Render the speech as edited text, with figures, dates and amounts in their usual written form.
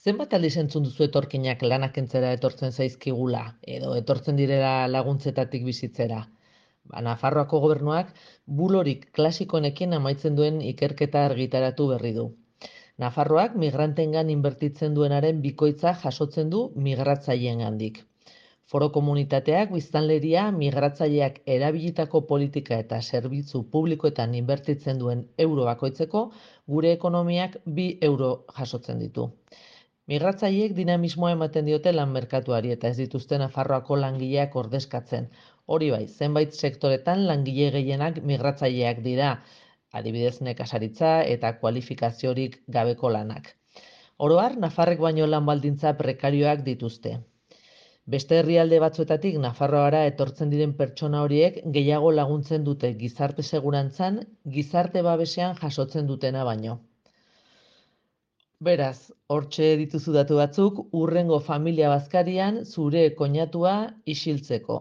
Zenbat aldiz entzun duzu etorkinak lanak kentzera etortzen zaizkigula, edo etortzen direla laguntzetatik bizitzera? Nafarroako gobernuak bulorik klasikoenekin amaitzen duen ikerketa argitaratu berri du. Nafarroak migranteengan inbertitzen duenaren bikoitza jasotzen du migratzaileengandik. Foro komunitateak biztanleria migratzaileak erabilitako politika eta zerbitzu publikoetan inbertitzen duen euro bakoitzeko gure ekonomiak 2 euro jasotzen ditu. Migratzaileek dinamismoa ematen diote lan merkatuari eta ez dituzte Nafarroako langileak ordezkatzen. Hori bai, zenbait sektoretan langile gehienak migratzaileak dira, adibidez nekazaritza eta kualifikaziorik gabeko lanak. Oro har, Nafarrek baino lan baldintza prekarioak dituzte. Beste herrialde batzuetatik Nafarroara etortzen diren pertsona horiek gehiago laguntzen dute gizarte segurantzan, gizarte babesean jasotzen dutena baino. Beraz, hortxe dituzu datu batzuk, hurrengo familia bazkarian zure koinatua isiltzeko.